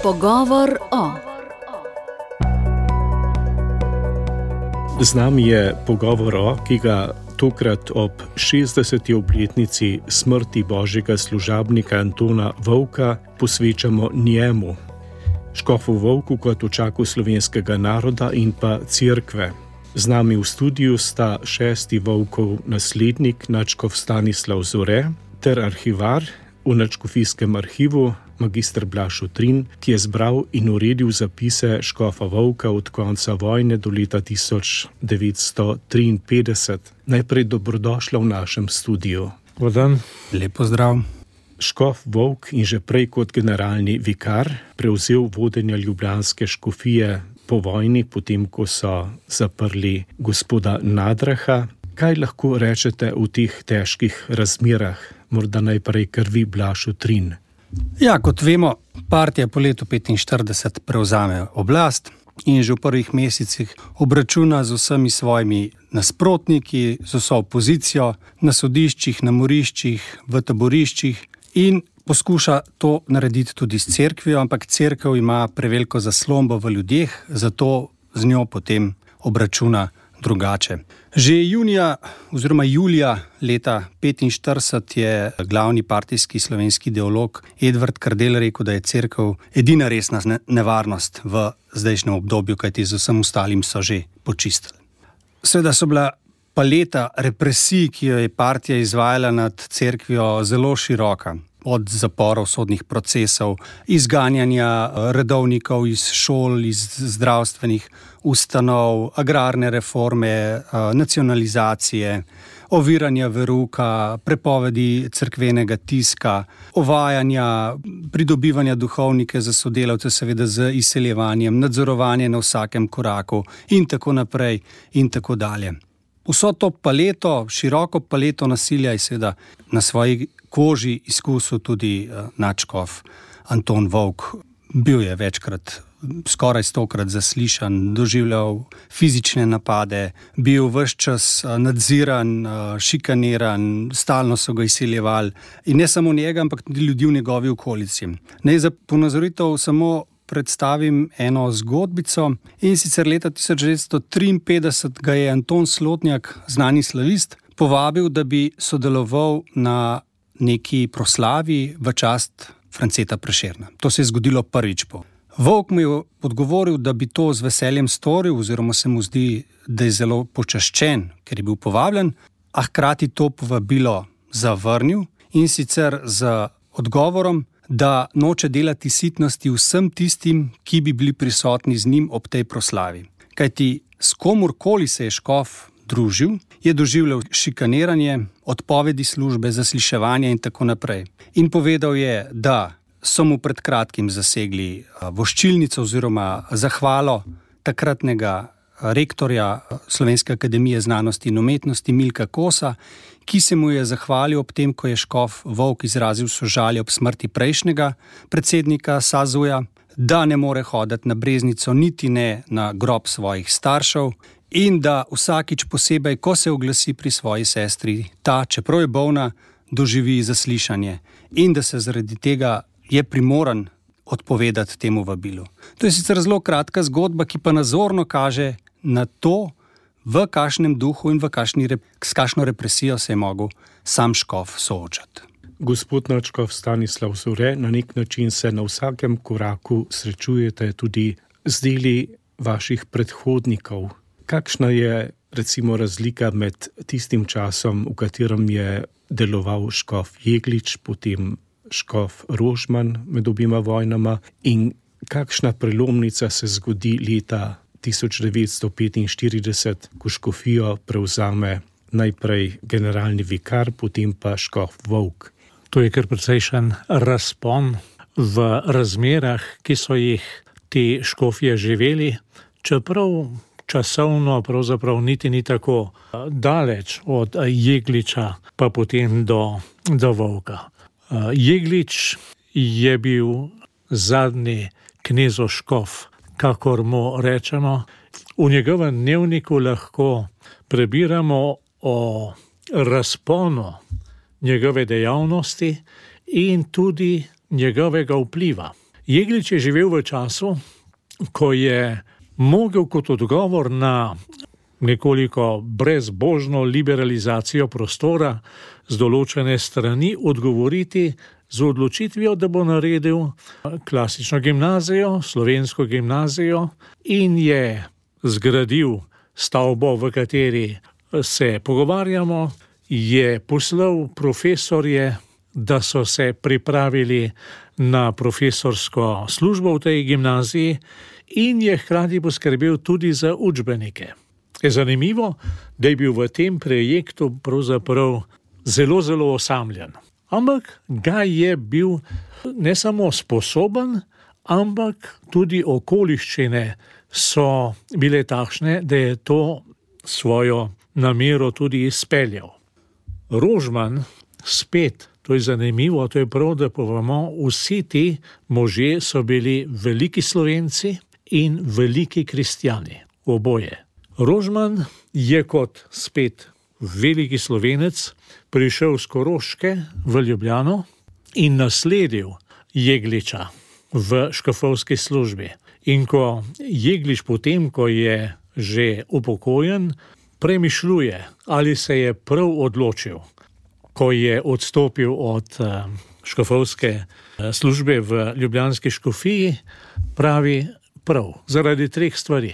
Pogovor o. Z nami je pogovor o, ki ga tokrat ob 60. obletnici smrti božjega služabnika Antona Vovka posvečamo njemu, škofu Vovku kot očaku slovenskega naroda in pa cerkve. Z nami v studiu sta 6. Vovkov naslednik, nadškof Stanislav Zore, ter arhivar v Nadškofijskem arhivu, magister Blaž Utrin, ki je zbral in uredil zapise škofa Vovka od konca vojne do leta 1953. Najprej dobrodošla v našem studiu. Vodan. Lep pozdrav. Škof Vovk in že prej kot generalni vikar prevzel vodenja ljubljanske škofije po vojni, potem ko so zaprli gospoda Nadraha. Kaj lahko rečete v teh težkih razmerah? Morda najprej kar vi, Blaž Utrin. Ja, kot vemo, partija po letu 1945 prevzame oblast in že v prvih mesecih obračuna z vsemi svojimi nasprotniki, z vso opozicijo, na sodiščih, na moriščih, v taboriščih in poskuša to narediti tudi s cerkvijo, ampak cerkev ima preveliko zaslombo v ljudeh, zato z njo potem obračuna drugače. Že julija leta 1945 je glavni partijski slovenski ideolog Edvard Kardelj rekel, da je cerkev edina resna nevarnost v zdajšnjem obdobju, kajti z vsem ostalim so že počistili. Seveda so bila paleta represij, ki jo je partija izvajala nad cerkvijo, zelo široka. Od zaporov, sodnih procesov, izganjanja redovnikov iz šol, iz zdravstvenih ustanov, agrarne reforme, nacionalizacije, oviranja veruka, prepovedi cerkvenega tiska, ovajanja, pridobivanja duhovnike za sodelavce, seveda z izseljevanjem, nadzorovanje na vsakem koraku in tako naprej in tako dalje. Vso to paleto, široko paleto nasilja je seveda na svoji koži izkusil tudi nadškof Anton Vovk. Bil je večkrat, skoraj 100-krat zaslišan, doživljal fizične napade, bil ves čas nadziran, šikaniran, stalno so ga izsiljevali. In ne samo njega, ampak tudi ljudi v njegovi okolici. Naj za ponazoritev samo predstavim eno zgodbico, in sicer leta 1953 ga je Anton Slotnjak, znani slavist, povabil, da bi sodeloval na neki proslavi v čast Franceta Prešerna. To se je zgodilo prvič po. Vovk mu je odgovoril, da bi to z veseljem storil, oziroma se mu zdi, da je zelo počaščen, ker je bil povabljen, a hkrati to povabilo zavrnil, in sicer z odgovorom, da noče delati sitnosti vsem tistim, ki bi bili prisotni z njim ob tej proslavi. Kajti s komurkoli se je škof družil, je doživljal šikaniranje, odpovedi službe, zasliševanje in tako naprej. In povedal je, da so mu pred kratkim zasegli voščilnico oziroma zahvalo takratnega rektorja Slovenske akademije znanosti in umetnosti Milka Kosa, ki se mu je zahvalil ob tem, ko je škof Vovk izrazil sožalje ob smrti prejšnjega predsednika SAZU-ja, da ne more hoditi na Breznico, niti ne na grob svojih staršev, in da vsakič posebej, ko se oglasi pri svoji sestri, ta, čeprav je bolna, doživi zaslišanje in da se zaradi tega je primoran odpovedati temu vabilu. To je sicer zelo kratka zgodba, ki pa nazorno kaže na to, v kakšnem duhu in s kakšno represijo se je mogel sam škof soočati. Gospod nadškof Stanislav Zore, na nek način se na vsakem koraku srečujete tudi z deli vaših predhodnikov. Kakšna je recimo razlika med tistim časom, v katerem je deloval škof Jeglič, potem škof Rožman med obima vojnama, in kakšna prelomnica se zgodi leta 1945, ko škofijo prevzame najprej generalni vikar, potem pa škof Vovk? To je kar precejšen razpon v razmerah, ki so jih te škofje živeli, čeprav časovno pravzaprav niti ni tako daleč od Jegliča pa potem do Vovka. Jeglič je bil zadnji knezoškof, kakor mu rečemo. V njegovem dnevniku lahko prebiramo o razponu njegove dejavnosti in tudi njegovega vpliva. Jeglič je živel v času, ko je mogel kot odgovor na nekoliko brezbožno liberalizacijo prostora z določene strani odgovoriti z odločitvijo, da bo naredil klasično gimnazijo, slovensko gimnazijo in je zgradil stavbo, v kateri se pogovarjamo, je poslal profesorje, da so se pripravili na profesorsko službo v tej gimnaziji in je hkrati poskrbel tudi za učbenike. Je zanimivo, da je bil v tem projektu pravzaprav zelo, zelo osamljen. Ampak ga je bil ne samo sposoben, ampak tudi okoliščine so bile takšne, da je to svojo namero tudi izpeljal. Rožman spet, to je zanimivo, to je prav, da povemo, vsi ti možje so bili veliki Slovenci in veliki kristjani, oboje. Rožman je kot spet veliki Slovenec prišel z Koroške v Ljubljano in nasledil Jegliča v škofovski službi. In ko Jeglič potem, ko je že upokojen, premišljuje, ali se je prav odločil, ko je odstopil od škofovske službe v ljubljanski škofiji, pravi prav, zaradi 3 stvari.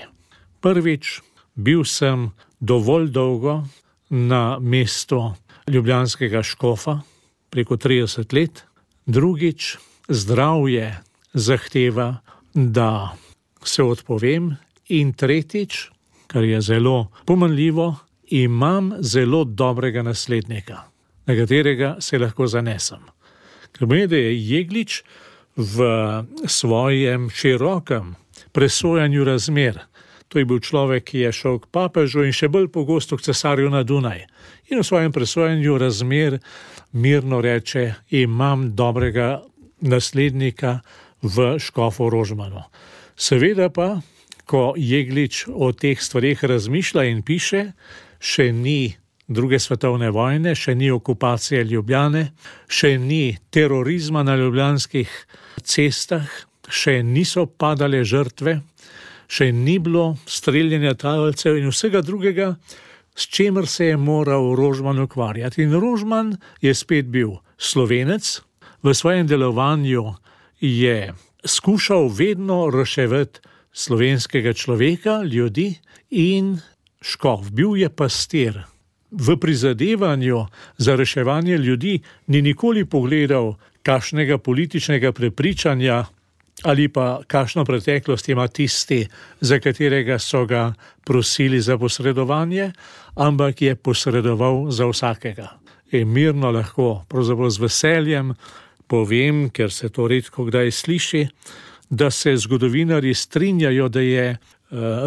Prvič, bil sem dovolj dolgo na mestu ljubljanskega škofa, preko 30 let. Drugič, zdravje zahteva, da se odpovem. In tretjič, kar je zelo pomenljivo, imam zelo dobrega naslednika, na katerega se lahko zanesem. Ker pomeni, da je Jeglič v svojem širokem presojanju razmer, to je bil človek, ki je šel k papežu in še bolj pogosto k cesarju na Dunaj. In v svojem presojanju razmer mirno reče, imam dobrega naslednika v škofu Rožmanu. Seveda pa, ko Jeglič o teh stvareh razmišlja in piše, še ni 2. svetovne vojne, še ni okupacije Ljubljane, še ni terorizma na ljubljanskih cestah, še niso padale žrtve, še ni bilo streljanja talcev in vsega drugega, s čemer se je moral Rožman ukvarjati. In Rožman je spet bil Slovenec, v svojem delovanju je skušal vedno reševati slovenskega človeka, ljudi in škof. Bil je pastir. V prizadevanju za reševanje ljudi ni nikoli pogledal kakšnega političnega prepričanja ali pa kakšno preteklost ima tisti, za katerega so ga prosili za posredovanje, ampak je posredoval za vsakega. In mirno lahko, pravzaprav z veseljem, povem, ker se to redko kdaj sliši, da se zgodovinarji strinjajo, da je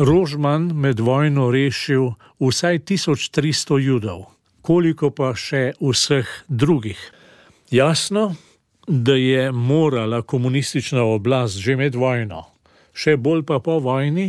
Rožman med vojno rešil vsaj 1300 Judov, koliko pa še vseh drugih. Jasno, da je morala komunistična oblast že med vojno, še bolj pa po vojni,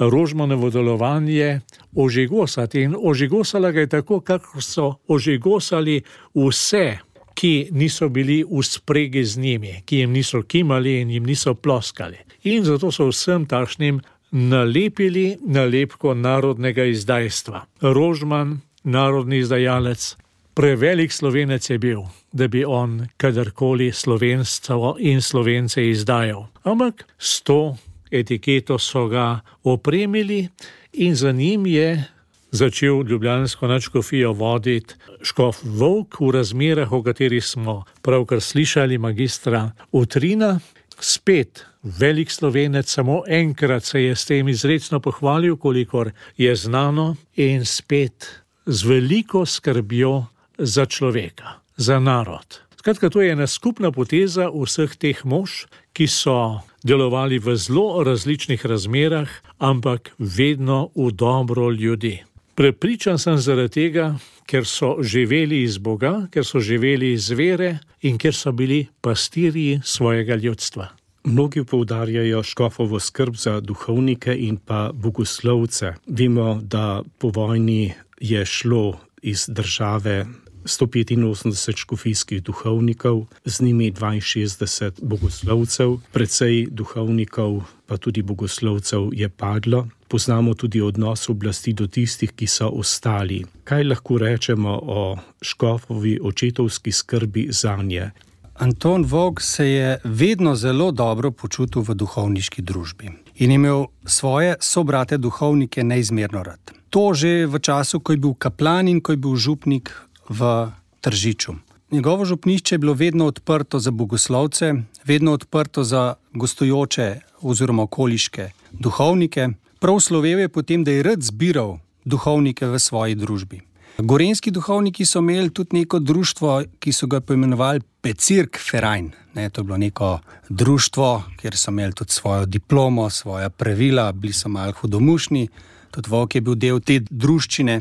Rožmanovo delovanje ožigosati. In ožigosala ga je tako, kako so ožigosali vse, ki niso bili v spregi z njimi, ki jim niso kimali in jim niso ploskali. In zato so vsem takšnim nalepili nalepko narodnega izdajstva. Rožman, narodni izdajalec, prevelik Slovenec je bil, da bi on kadarkoli slovenstvo in Slovence izdajal. Ampak s to etiketo so ga opremili in za njim je začel ljubljansko nadškofijo voditi škof Volk v razmerah, o katerih smo pravkar slišali magistra Utrina. Spet velik Slovenec, samo enkrat se je s tem izrecno pohvalil, kolikor je znano, in spet z veliko skrbjo za človeka, za narod. Skratka, to je ena skupna poteza vseh teh mož, ki so delovali v zelo različnih razmerah, ampak vedno v dobro ljudi. Prepričan sem zaradi tega, ker so živeli iz Boga, ker so živeli iz vere in ker so bili pastirji svojega ljudstva. Mnogi poudarjajo škofovo skrb za duhovnike in pa bogoslovce. Vemo, da po vojni je šlo iz države 185 škofijskih duhovnikov, z njimi 62 bogoslovcev, precej duhovnikov pa tudi bogoslovcev je padlo. Poznamo tudi odnos oblasti do tistih, ki so ostali. Kaj lahko rečemo o škofovi očetovski skrbi zanje? Anton Vovk se je vedno zelo dobro počutil v duhovniški družbi in imel svoje sobrate duhovnike neizmerno rad. To že v času, ko je bil kaplan in ko je bil župnik v Tržiču. Njegovo župnišče je bilo vedno odprto za bogoslovce, vedno odprto za gostujoče oziroma okoliške duhovnike. Prav slovel je potem, da je rad zbiral duhovnike v svoji družbi. Gorenjski duhovniki so imeli tudi neko društvo, ki so ga poimenovali Bezirk Verein. To je bilo neko društvo, kjer so imeli tudi svojo diplomo, svoja pravila, bili so malo hudomušni. Tudi Vovk je bil del te druščine.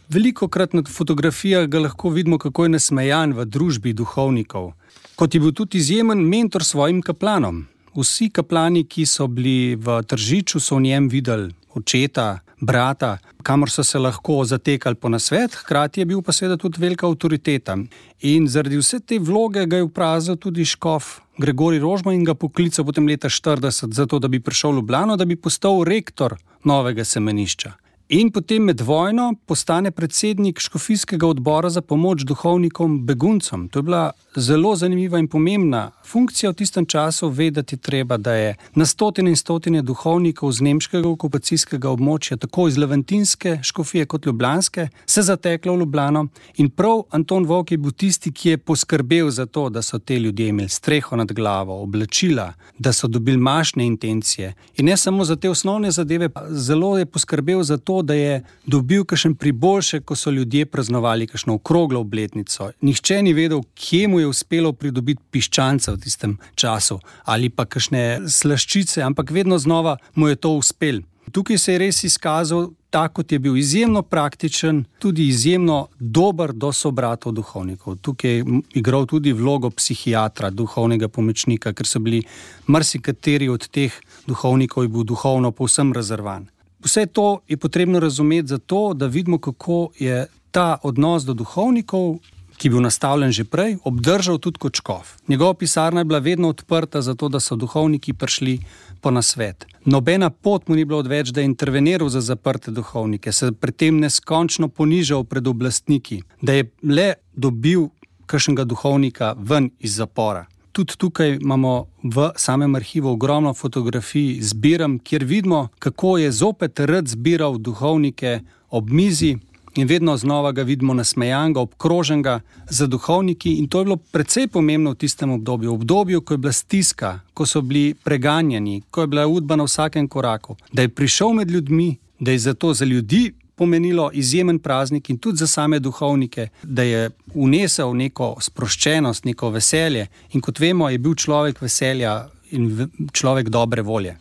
Velikokrat na fotografijah ga lahko vidimo, kako je nasmejan v družbi duhovnikov. Kot je bil tudi izjemen mentor svojim kaplanom. Vsi kaplani, ki so bili v Tržiču, so v njem videli očeta, brata, kamor so se lahko zatekali po nasvet, hkrati je bil pa seveda tudi velika avtoriteta. In zaradi vse te vloge ga je vprazil tudi škof Gregorij Rožman in ga poklical potem leta 40 zato, da bi prišel v Ljubljano, da bi postal rektor novega semenišča. In potem med vojno postane predsednik škofijskega odbora za pomoč duhovnikom beguncem. To je bila zelo zanimiva in pomembna funkcija v tistem času. Vedeti treba, da je na stotine in stotine duhovnikov z nemškega okupacijskega območja, tako iz levantinske škofije kot ljubljanske, se zateklo v Ljubljano in prav Anton Vovk je bil tisti, ki je poskrbel za to, da so te ljudje imeli streho nad glavo, oblačila, da so dobili mašne intencije. In ne samo za te osnovne zadeve, zelo je poskrbel za to, da je dobil kakšen priboljšek, ko so ljudje praznovali kakšno okroglo obletnico. Nihče ni vedel, kje mu je uspelo pridobiti piščanca v tistem času ali pa kakšne slaščice, ampak vedno znova mu je to uspelo. Tukaj se je res izkazal tak, kot je bil izjemno praktičen, tudi izjemno dober do sobratov duhovnikov. Tukaj je igral tudi vlogo psihiatra, duhovnega pomočnika, ker so bili marsikateri od teh duhovnikov je bil duhovno povsem rezervan. Vse to je potrebno razumeti zato, da vidimo, kako je ta odnos do duhovnikov, ki je bil nastavljen že prej, obdržal tudi kot škof. Njegova pisarna je bila vedno odprta zato, da so duhovniki prišli po nasvet. Nobena pot mu ni bilo odveč, da je interveniral za zaprte duhovnike, se pri tem neskončno ponižal pred oblastniki, da je le dobil kakšnega duhovnika ven iz zapora. Tudi tukaj imamo v samem arhivu ogromno fotografij zbiram, kjer vidimo, kako je zopet rad zbiral duhovnike ob mizi in vedno znova ga vidimo nasmejanega, obkroženega za duhovniki in to je bilo precej pomembno v tistem obdobju, ko je bila stiska, ko so bili preganjani, ko je bila udba na vsakem koraku, da je prišel med ljudmi, da je zato za ljudi pomenilo izjemen praznik in tudi za same duhovnike, da je vnesel neko sproščenost, neko veselje in kot vemo, je bil človek veselja in človek dobre volje.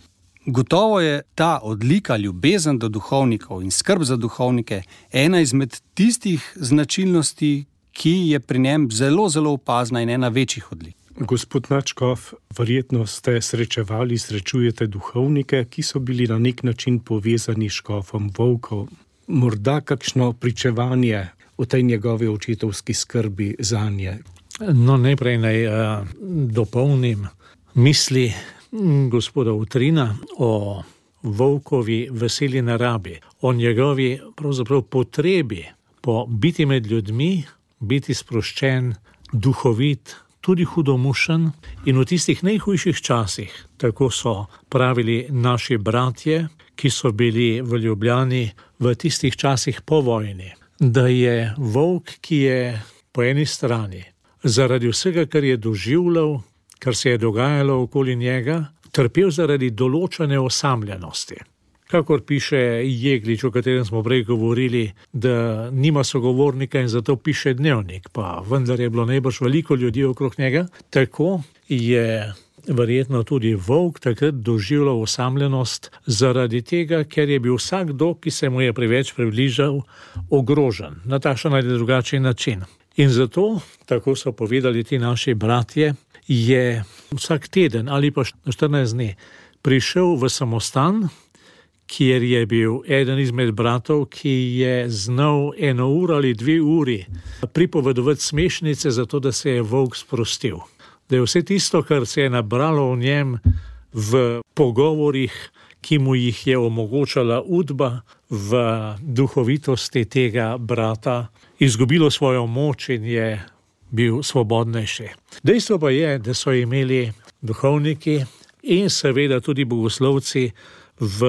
Gotovo je ta odlika, ljubezen do duhovnikov in skrb za duhovnike ena izmed tistih značilnosti, ki je pri njem zelo, zelo opazna in ena večjih odlik. Gospod nadškof, verjetno ste srečujete duhovnike, ki so bili na nek način povezani s škofom Vovkom. Morda kakšno pričevanje o tej njegovi očetovski skrbi zanje? No, najprej naj dopolnim misli gospoda Utrina o Vovkovi veseli narabi, o njegovi pravzaprav potrebi po biti med ljudmi, biti sproščen, duhovit, tudi hudomušen in v tistih najhujših časih, tako so pravili naši bratje, ki so bili v Ljubljani v tistih časih po vojni, da je Vovk, ki je po eni strani zaradi vsega, kar je doživljal, kar se je dogajalo okoli njega, trpel zaradi določene osamljenosti. Kakor piše Jeglič, o katerem smo prej govorili, da nima sogovornika in zato piše dnevnik, pa vendar je bilo najbrž veliko ljudi okrog njega, tako je verjetno tudi Vovk takrat doživljal osamljenost zaradi tega, ker je bil vsakdo, ki se mu je preveč približal, ogrožen na takšen ali drugačen način. In zato, tako so povedali ti naši bratje, je vsak teden ali pa 14 dni prišel v samostan, kjer je bil eden izmed bratov, ki je znal 1 uro ali 2 uri pripovedovati smešnice, zato da se je volk sprostil. Da je vse tisto, kar se je nabralo v njem v pogovorih, ki mu jih je omogočala udba, v duhovitosti tega brata, izgubilo svojo moč in je bil svobodnejši. Dejstvo pa je, da so imeli duhovniki in seveda tudi bogoslovci v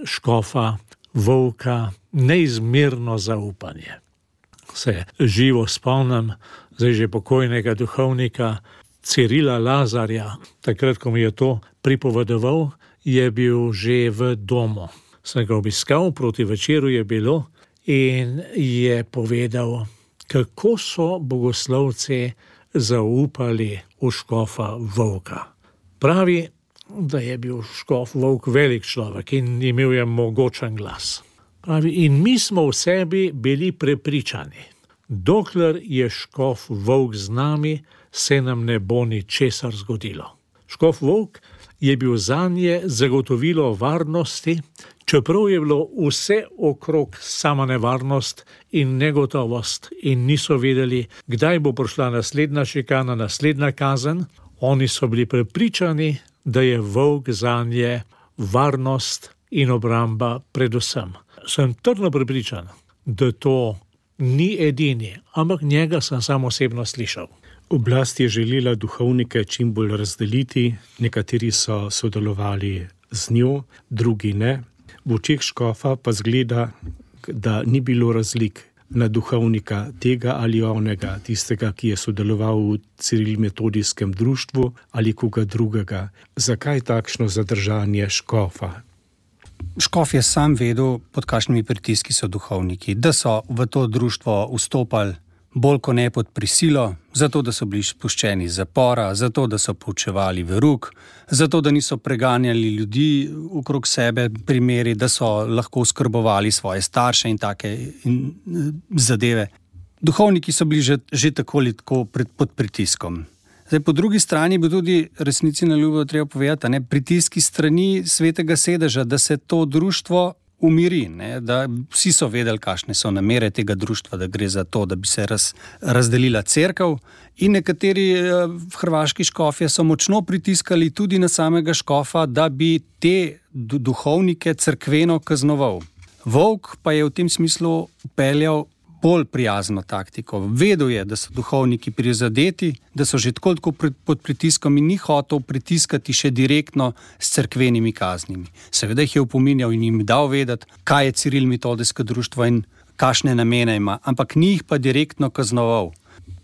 škofa Volka neizmerno zaupanje. Se živo spomnim zdaj že pokojnega duhovnika Cirila Lazarja. Takrat, ko mi je to pripovedoval, je bil že v domu. Sem ga obiskal, proti večeru je bilo, in je povedal, kako so bogoslovci zaupali v škofa Volka. Pravi, da je bil škof Volk velik človek in imel je mogočen glas. Pravi, in mi smo v sebi bili prepričani, dokler je škof Volk z nami, se nam ne bo ničesar zgodilo. Škof Volk je bil zanje zagotovilo varnosti, čeprav je bilo vse okrog sama nevarnost in negotovost in niso vedeli, kdaj bo prišla naslednja šikana, naslednja kazen. Oni so bili prepričani, da je volk zanje varnost in obramba predvsem. Sem trdno prepričan, da to ni edini, ampak njega sem sam osebno slišal. Oblast je želela duhovnike čim bolj razdeliti, nekateri so sodelovali z njo, drugi ne. V očeh škofa pa zgleda, da ni bilo razlik na duhovnika tega ali onega, tistega, ki je sodeloval v Cirilmetodijskem društvu ali koga drugega. Zakaj takšno zadržanje škofa? Škof je sam vedel, pod kakšnimi pritiski so duhovniki, da so v to društvo vstopali bolj kot ne pod prisilo, zato da so bili spuščeni iz zapora, zato da so poučevali verouk, zato da niso preganjali ljudi okrog sebe, primeri, da so lahko oskrbovali svoje starše in take zadeve. Duhovniki so bili že tako ali tako pod pritiskom. Zdaj, po drugi strani bi tudi resnici na ljubo treba povedati, pritiski strani Svetega sedeža, da se to društvo umiri, da vsi so vedeli, kakšne so namere tega društva, da gre za to, da bi se razdelila cerkev, in nekateri hrvaški škofje so močno pritiskali tudi na samega škofa, da bi te duhovnike cerkveno kaznoval. Volk pa je v tem smislu upeljal bolj prijazno taktiko. Vedel je, da so duhovniki prizadeti, da so že tako pod pritiskom in ni hotel pritiskati še direktno s cerkvenimi kaznimi. Seveda jih je opominjal in jim dal vedeti, kaj je Cirilmetodijsko društvo in kakšne namene ima, ampak ni jih pa direktno kaznoval.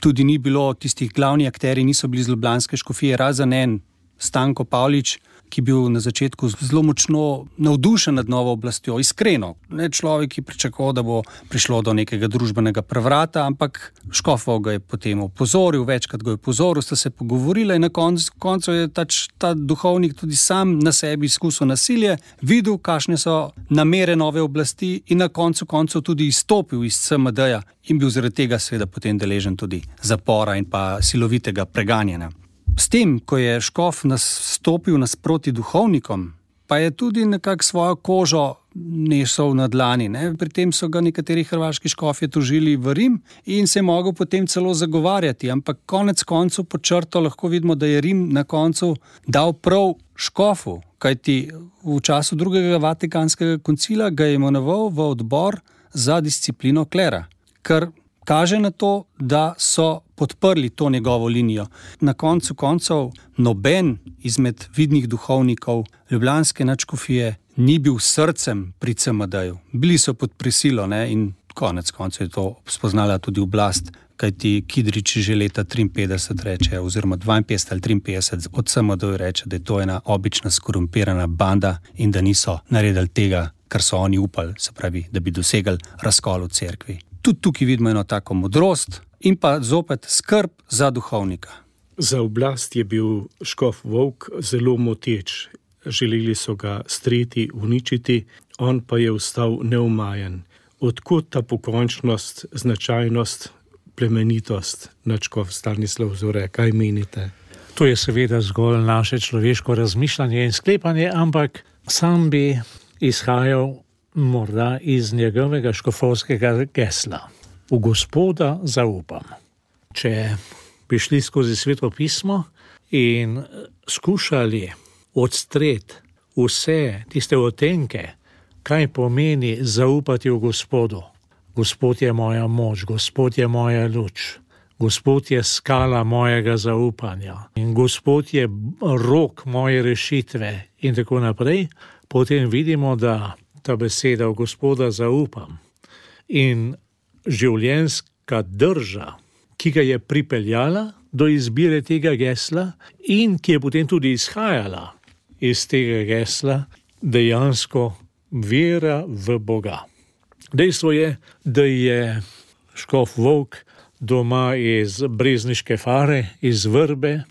Tudi ni bilo tistih glavni akteri, niso bili z ljubljanske škofije, razen en Stanko Pavlič, ki bil na začetku zelo močno navdušen nad novo oblastjo, iskreno. Ne človek, ki pričakoval, da bo prišlo do nekega družbenega prevrata, ampak škof ga je potem opozoril, večkrat ga je opozoril, sta se pogovorila in na koncu je ta duhovnik tudi sam na sebi izkusil nasilje, videl, kakšne so namere nove oblasti in na koncu tudi izstopil iz CMD-ja in bil zaradi tega seveda potem deležen tudi zapora in pa silovitega preganjanja. S tem, ko je škof stopil nasproti duhovnikom, pa je tudi nekako svojo kožo nesel na dlani. Pri tem so ga nekateri hrvaški škofje tožili v Rim in se je mogel potem celo zagovarjati, ampak konec koncu pod črto lahko vidimo, da je Rim na koncu dal prav škofu, kajti v času drugega Vatikanskega koncila ga je imenoval v odbor za disciplino klera, kar kaže na to, da so podprli to njegovo linijo. Na koncu koncev noben izmed vidnih duhovnikov ljubljanske nadškofije ni bil srcem pri CMD-ju. Bili so pod prisilo, in konec koncev je to spoznala tudi oblast, kajti Kidrič že leta 53 reče, oziroma 52 ali 53 od CMD-ju reče, da je to ena obična skorumpirana banda in da niso naredili tega, kar so oni upali, se pravi, da bi dosegali razkol v cerkvi. Tudi tukaj vidimo eno tako modrost in pa zopet skrb za duhovnika. Za oblast je bil škof Volk zelo moteč. Želeli so ga streti, uničiti, on pa je ostal neumajen. Odkot ta pokončnost, značajnost, plemenitost, nadškof Stanislav Zore, kaj menite? To je seveda zgolj naše človeško razmišljanje in sklepanje, ampak sam bi izhajal morda iz njegovega škofovskega gesla. V Gospoda zaupam. Če bi šli skozi Sveto pismo in skušali odstreti vse tiste odtenke, kaj pomeni zaupati v Gospodu. Gospod je moja moč, Gospod je moja luč, Gospod je skala mojega zaupanja in Gospod je rok moje rešitve in tako naprej, potem vidimo, da ta beseda v Gospoda zaupam in življenjska drža, ki ga je pripeljala do izbire tega gesla in ki je potem tudi izhajala iz tega gesla, dejansko vera v Boga. Dejstvo je, da je škof Volk doma iz Brezniške Fare, iz Vrbe,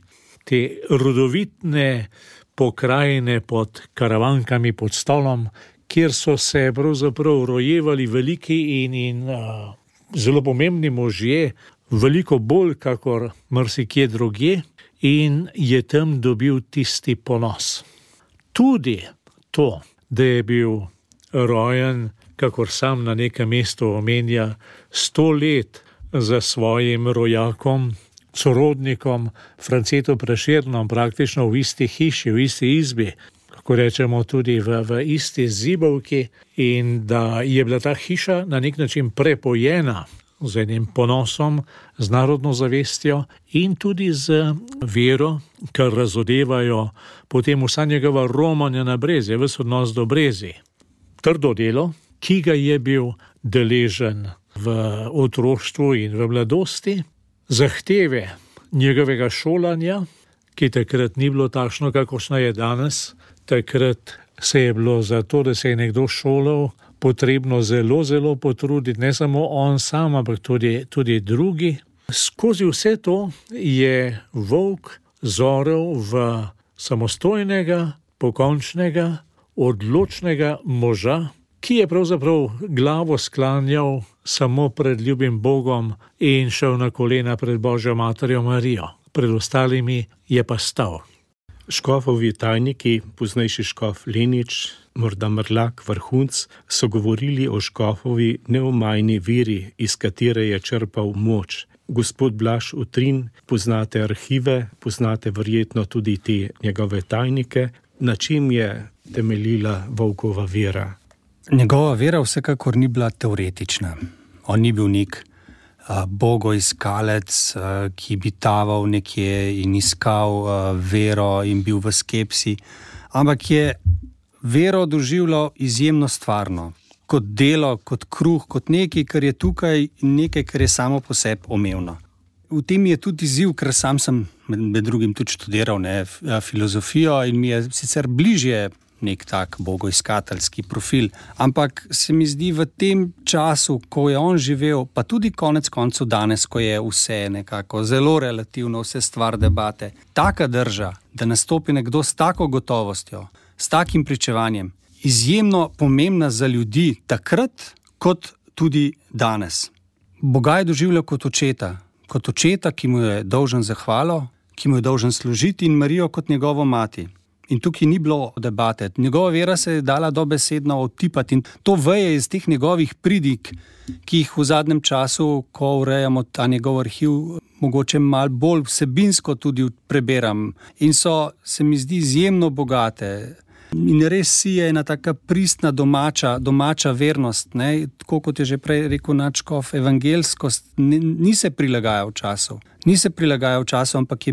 te rodovitne pokrajine pod Karavankami pod Stolom, kjer so se pravzaprav rojevali veliki in zelo pomembni možje, veliko bolj kakor marsikje drugje, in je tam dobil tisti ponos. Tudi to, da je bil rojen, kakor sam na nekem mestu omenja, 100 let za svojim rojakom, sorodnikom, Francetom Prešernom, praktično v isti hiši, v isti izbi, kako rečemo tudi v isti zibovki, in da je bila ta hiša na nek način prepojena z enim ponosom, z narodno zavestjo in tudi z vero, kar razodevajo potem vsa njegova romanja na Brezje, ves odnos do Brezij. Trdo delo, ki ga je bil deležen v otroštvu in v mladosti, zahteve njegovega šolanja, ki takrat ni bilo takšno, kakršno je danes. Takrat se je bilo za to, da se je nekdo šolal, potrebno zelo, zelo potruditi, ne samo on sam, ampak tudi drugi. Skozi vse to je Volk zorel v samostojnega, pokončnega, odločnega moža, ki je pravzaprav glavo sklanjal samo pred ljubim Bogom in šel na kolena pred Božjo materjo Marijo. Pred ostalimi je pa stal. Škofovi tajniki, poznejši škof Lenič, morda Mrlak, Vrhunc, so govorili o škofovi neomajni veri, iz katere je črpal moč. Gospod Blaž Utrin, poznate arhive, poznate verjetno tudi te njegove tajnike. Na čem je temeljila Volkova vera? Njegova vera vsekakor ni bila teoretična. On ni bil nek bogoiskalec, ki bi taval nekje in iskal vero in bil v skepsi, ampak je vero doživljal izjemno stvarno, kot delo, kot kruh, kot nekaj, kar je tukaj in nekaj, kar je samo po sebi omevno. V tem je tudi izziv, ker sam sem med drugim tudi študiral filozofijo in mi je sicer bližje nek tak bogoiskateljski profil, ampak se mi zdi v tem času, ko je on živel, pa tudi konec koncev danes, ko je vse nekako zelo relativno, vse stvar debate, taka drža, da nastopi nekdo s tako gotovostjo, s takim pričevanjem, izjemno pomembna za ljudi takrat, kot tudi danes. Boga je doživljal kot očeta, ki mu je dolžen zahvalo, ki mu je dolžen služiti, in Marijo kot njegovo mati. In tukaj ni bilo debate. Njegova vera se je dala dobesedno odtipati in to veje iz teh njegovih pridig, ki jih v zadnjem času, ko urejamo ta njegov arhiv, mogoče malo bolj vsebinsko tudi preberam. In so, se mi zdi, izjemno bogate. In res si je ena taka pristna domača vernost, ne? Tako kot je že prej rekel nadškof, evangelskost ni se prilagajal času. Ni se prilagajal času, ampak je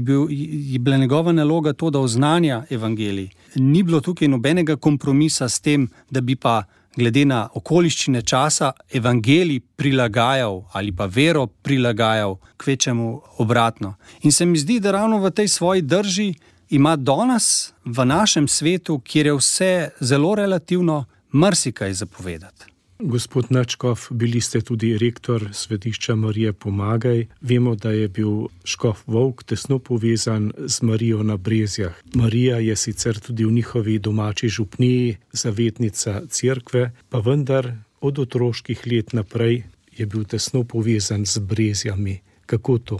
bila njegova naloga to, da oznanja evangelij. Ni bilo tukaj nobenega kompromisa s tem, da bi pa glede na okoliščine časa evangelij prilagajal ali pa vero prilagajal, kvečemu obratno. In se mi zdi, da ravno v tej svoji drži ima danes v našem svetu, kjer je vse zelo relativno, marsikaj zapovedati. Gospod nadškof, bili ste tudi rektor Svetišča Marije Pomagaj. Vemo, da je bil škof Volk tesno povezan z Marijo na Brezjah. Marija je sicer tudi v njihovi domači župniji zavetnica cerkve, pa vendar od otroških let naprej je bil tesno povezan z Brezjami. Kako to?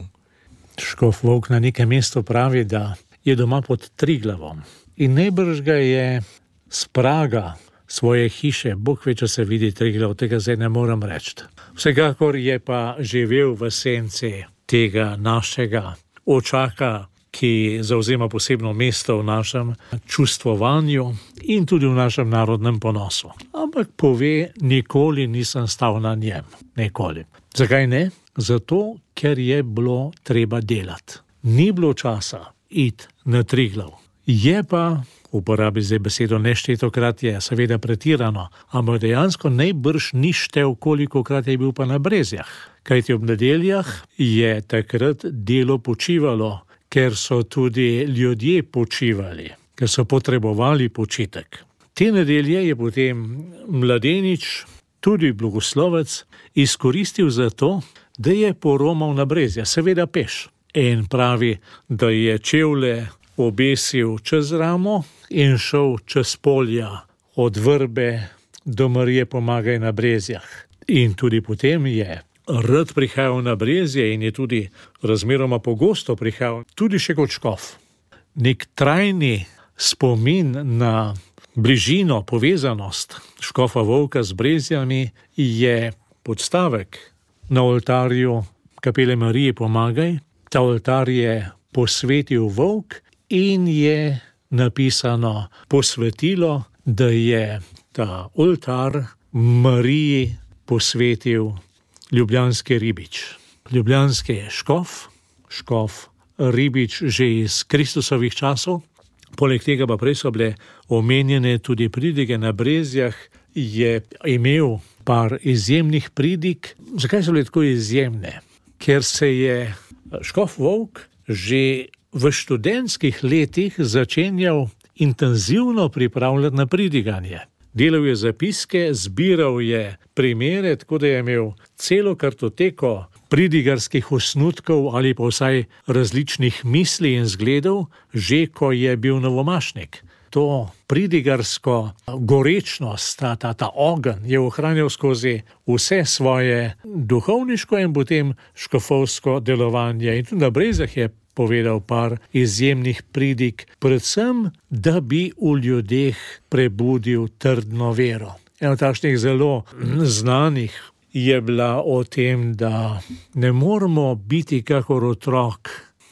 Škof Volk na nekem mestu pravi, da je doma pod Triglavom in najbrž ga je s praga svoje hiše. Bog ve, če se vidi Triglav, tega zdaj ne morem reči. Vsekakor je pa živel v senci tega našega očaka, ki zauzema posebno mesto v našem čustvovanju in tudi v našem narodnem ponosu. Ampak pove, nikoli nisem stal na njem. Nikoli. Zakaj ne? Zato, ker je bilo treba delati. Ni bilo časa iti na Triglav. Je pa, uporabi zdaj besedo neštetokrat, je seveda pretirano, ampak dejansko najbrž ni štel, kolikokrat je bil pa na Brezjah. Kajti ob nedeljah je takrat delo počivalo, ker so tudi ljudje počivali, ker so potrebovali počitek. Te nedelje je potem mladenič, tudi blagoslovec, izkoristil za to, da je poromal na Brezja, seveda peš. In pravi, da je čevlje obesil čez ramo in šel čez polja od vrbe do Marije Pomagaj na Brezjah. In tudi potem je rad prihajal na Brezje in je tudi razmeroma pogosto prihajal, tudi še kot škof. Nek trajni spomin na bližino, povezanost škofa Vovka z Brezjami je podstavek na oltarju kapele Marije Pomagaj. Ta oltar je posvetil Vovk in je napisano posvetilo, da je ta oltar Mariji posvetil ljubljanski Ribič. Ljubljanski škof Ribič že iz Kristusovih časov. Poleg tega pa prej so bile omenjene tudi pridige na Brezjah, je imel par izjemnih pridig. Zakaj so bile tako izjemne? Ker se je škof Vovk že v študentskih letih začenjal intenzivno pripravljati na pridiganje. Delal je zapiske, zbiral je primere, tako da je imel celo kartoteko pridigarskih osnutkov ali pa vsaj različnih misli in zgledov, že ko je bil novomašnik. To pridigarsko gorečnost, ta ogenj je ohranjal skozi vse svoje duhovniško in potem škofovsko delovanje. In tudi na Brezjah je povedal par izjemnih pridig, predvsem, da bi v ljudeh prebudil trdno vero. Eno takšnih zelo znanih je bila o tem, da ne moramo biti kakor otrok,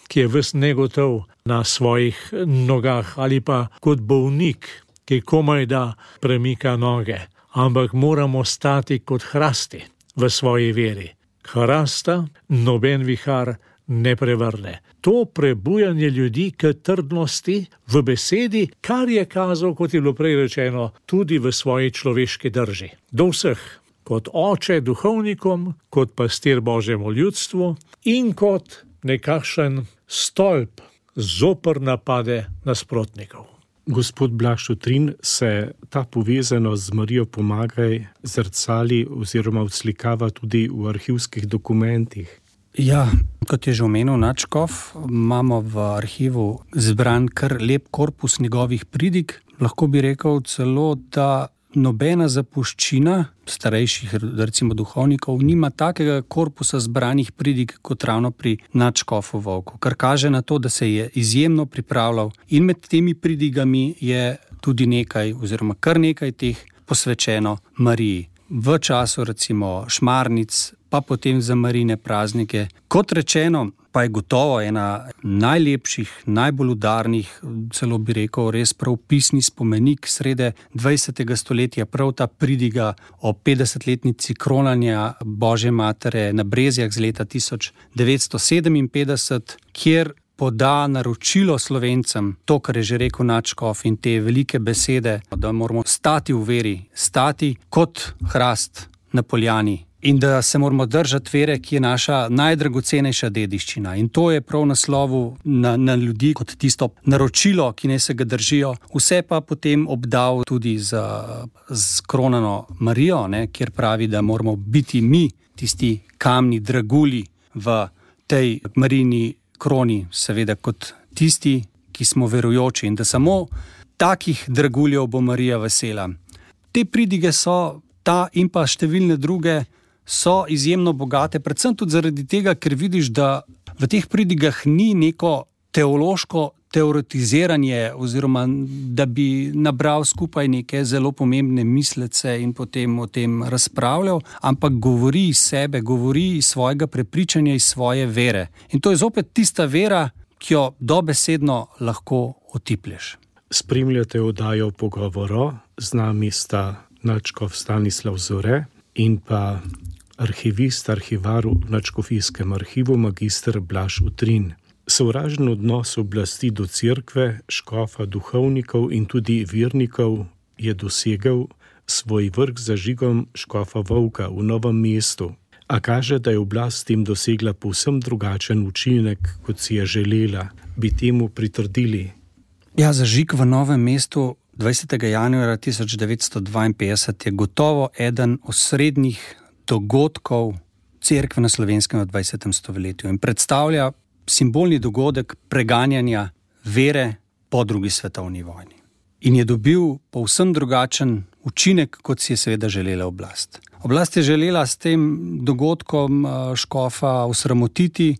ki je ves negotov na svojih nogah, ali pa kot bolnik, ki komaj da premika noge, ampak moramo stati kot hrasti v svoji veri. Hrasta noben vihar ne prevrne. To prebujanje ljudi k trdnosti v besedi, kar je kazal, kot je bilo prej rečeno, tudi v svoji človeški drži. Do vseh, kot oče duhovnikom, kot pastir Božjemu ljudstvu in kot nekakšen stolp zoper napade nasprotnikov. Gospod Blaž Šutrin, se ta povezanost z Marijo Pomagaj zrcali oziroma odslikava tudi v arhivskih dokumentih? Ja, kot je že omenil nadškof, imamo v arhivu zbran kar lep korpus njegovih pridig. Lahko bi rekel celo, da nobena zapuščina starejših, recimo duhovnikov, nima takega korpusa zbranih pridig kot ravno pri nadškofu Vovku, kar kaže na to, da se je izjemno pripravljal in med temi pridigami je tudi nekaj oziroma kar nekaj teh posvečeno Mariji. V času recimo šmarnic, pa potem za Marijine praznike. Kot rečeno, pa je gotovo ena najlepših, najbolj udarnih, celo bi rekel, res prav pisni spomenik srede 20. stoletja, prav ta pridiga o 50-letnici kronanja Božje matere na Brezjah z leta 1957, kjer poda naročilo Slovencem, to, kar je že rekel nadškof in te velike besede, da moramo stati v veri, stati kot hrast na poljani. In da se moramo držati vere, ki je naša najdragocenejša dediščina. In to je prav naslovu na ljudi kot tisto naročilo, ki naj se ga držijo. Vse pa potem obdal tudi z kronano Marijo, kjer pravi, da moramo biti mi tisti kamni dragulji v tej Marijini kroni, seveda kot tisti, ki smo verujoči in da samo takih draguljev bo Marija vesela. Te pridige so, ta in pa številne druge, so izjemno bogate, predvsem tudi zaradi tega, ker vidiš, da v teh pridigah ni neko teološko teoretiziranje oziroma da bi nabral skupaj neke zelo pomembne mislece in potem o tem razpravljal, ampak govori iz sebe, govori iz svojega prepričanja, iz svoje vere. In to je zopet tista vera, ki jo dobesedno lahko otiplješ. Spremljate oddajo Pogovoro, z nami sta nadškof Stanislav Zore in pa arhivist, arhivar v Nadškofijskem arhivu magister Blaž Utrin. Sovražen odnos oblasti do cerkve, škofa, duhovnikov in tudi vernikov je dosegel svoj vrh z zažigom škofa Vovka v Novem mestu, a kaže, da je oblast tem dosegla povsem drugačen učinek, kot si je želela. Bi temu pritrdili? Ja, zažig v Novem mestu 20. januarja 1952 je gotovo eden osrednjih dogodkov cerkve na Slovenskem v 20. stoletju in predstavlja simbolni dogodek preganjanja vere po drugi svetovni vojni. In je dobil povsem drugačen učinek, kot si je seveda želela oblast. Oblast je želela s tem dogodkom škofa osramotiti,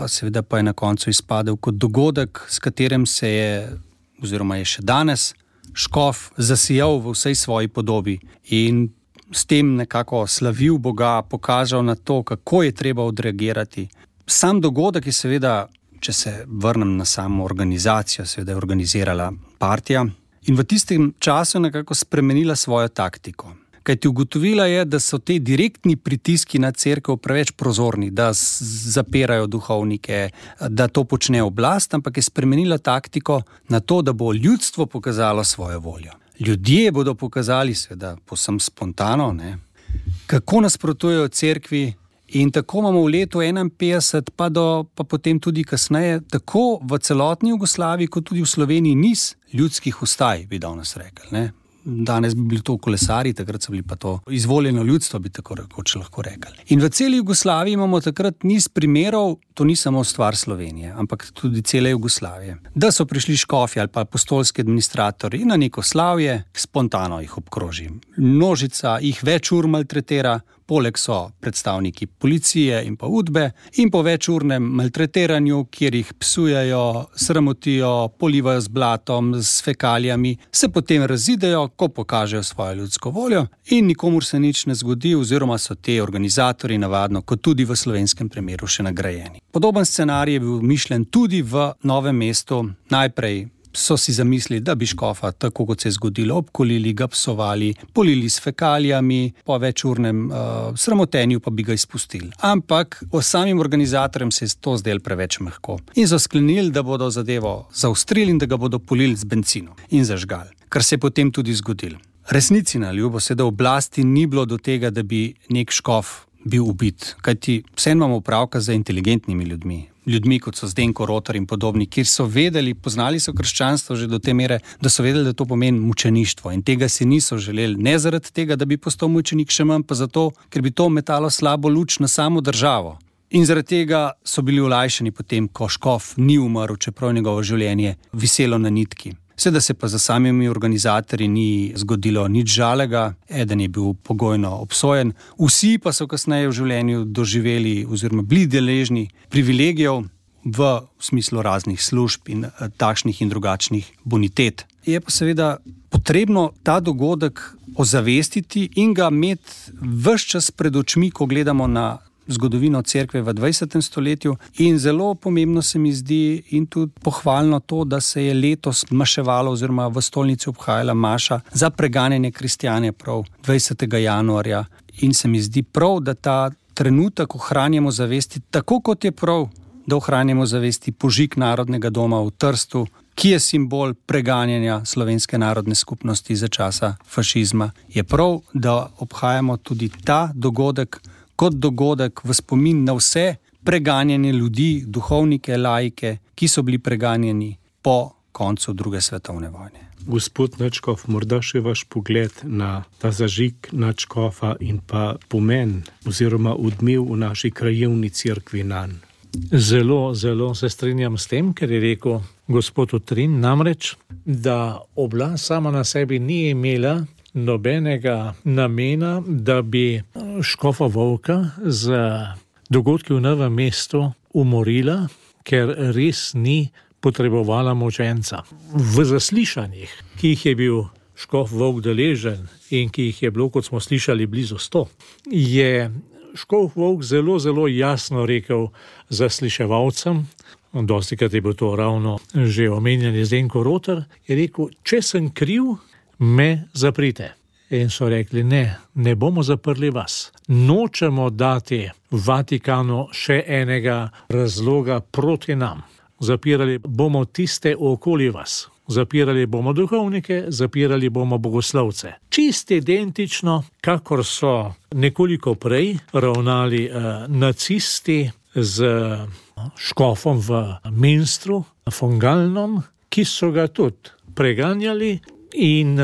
seveda pa je na koncu izpadel kot dogodek, s katerim se je, oziroma je še danes, škof zasijal v vsej svoji podobi in s tem nekako slavil Boga, pokazal na to, kako je treba odreagirati. Sam dogodek je seveda, če se vrnem na samo organizacijo, seveda je organizirala partija in v tistem času nekako spremenila svojo taktiko. Kajti ugotovila je, da so te direktni pritiski na cerkev preveč prozorni, da zapirajo duhovnike, da to počne oblast, ampak je spremenila taktiko na to, da bo ljudstvo pokazalo svojo voljo. Ljudje bodo pokazali, seveda povsem spontano, kako nasprotujejo cerkvi. In tako imamo v letu 1951, pa potem tudi kasneje, tako v celotni Jugoslaviji, kot tudi v Sloveniji niz ljudskih vstaj, bi danes rekli. Danes bi bili to kolesari, takrat so bili pa to izvoljeno ljudstvo, bi tako rekoč lahko rekli. In v celi Jugoslaviji imamo takrat niz primerov, to ni samo stvar Slovenije, ampak tudi cele Jugoslavije, da so prišli škofi ali pa apostolski administratorji na neko slavje, spontano jih obkroži. Množica jih več ur maltretira, poleg so predstavniki policije in pa udbe in po večurnem maltretiranju, kjer jih psujejo, sramotijo, polivajo z blatom, s fekalijami, se potem razidejo, ko pokažejo svojo ljudsko voljo in nikomur se nič ne zgodi oziroma so te organizatorji navadno, kot tudi v slovenskem primeru, še nagrajeni. Podoben scenarij je bil mišljen tudi v Novem mestu. Najprej so si zamislili, da bi škofa, tako kot se je zgodilo, obkolili, ga psovali, polili s fekalijami, po večurnem sramotenju pa bi ga izpustili. Ampak samim organizatorjem se je to zdelo preveč mehko. In so sklenili, da bodo zadevo zaostrili in da ga bodo polili z bencinom in zažgali, kar se je potem tudi zgodilo. Resnici na ljubo se, da oblasti ni bilo do tega, da bi nek škof bil ubit, kajti vseeno imamo opravka z inteligentnimi ljudmi, kot so Zdenko Rotar in podobni, kjer so vedeli, poznali so krščanstvo že do te mere, da so vedeli, da to pomeni mučeništvo in tega si niso želeli, ne zaradi tega, da bi postal mučenik, še manj pa zato, ker bi to metalo slabo luč na samo državo. In zaradi tega so bili olajšani potem, ko škof ni umrl, čeprav njegovo življenje viselo na nitki. Seveda se pa za samimi organizatorji ni zgodilo nič žalega, eden je bil pogojno obsojen, vsi pa so kasneje v življenju doživeli oziroma bili deležni privilegijev v smislu raznih služb in takšnih in drugačnih bonitet. Je pa seveda potrebno ta dogodek ozavestiti in ga imeti ves čas pred očmi, ko gledamo na zgodovino cerkve v 20. stoletju in zelo pomembno se mi zdi in tudi pohvalno to, da se je letos maševalo oziroma v stolnici obhajala maša za preganjanje kristjane prav 20. januarja in se mi zdi prav, da ta trenutek ohranjamo zavesti tako, kot je prav, da ohranjamo zavesti požig Narodnega doma v Trstu, ki je simbol preganjanja slovenske narodne skupnosti za časa fašizma. Je prav, da obhajamo tudi ta dogodek kot dogodek v spomin na vse preganjanje ljudi, duhovnike, laike, ki so bili preganjeni po koncu druge svetovne vojne. Gospod nadškof, morda še vaš pogled na ta zažig nadškofa in pa pomen oziroma odmev v naši krajevni cerkvi nanj. Zelo, zelo se strinjam s tem, ker je rekel gospod Utrin, namreč, da oblast sama na sebi ni imela nobenega namena, da bi škofa Vovka z dogodki v Novem mestu umorila, ker res ni potrebovala mučenca. V zaslišanjih, ki jih je bil škof Volk deležen in ki jih je bilo, kot smo slišali, blizu 100, je škof Volk zelo, zelo jasno rekel zasliševalcem, dostikrat je bil to ravno že omenjeni Zdenko Rotar, je rekel, če sem kriv, me zaprite. In so rekli, ne bomo zaprli vas. Nočemo dati Vatikanu še enega razloga proti nam. Zapirali bomo tiste okoli vas. Zapirali bomo duhovnike, zapirali bomo bogoslovce. Čisto identično, kakor so nekoliko prej ravnali nacisti z škofom v Münstru, von Gallnom, ki so ga tudi preganjali in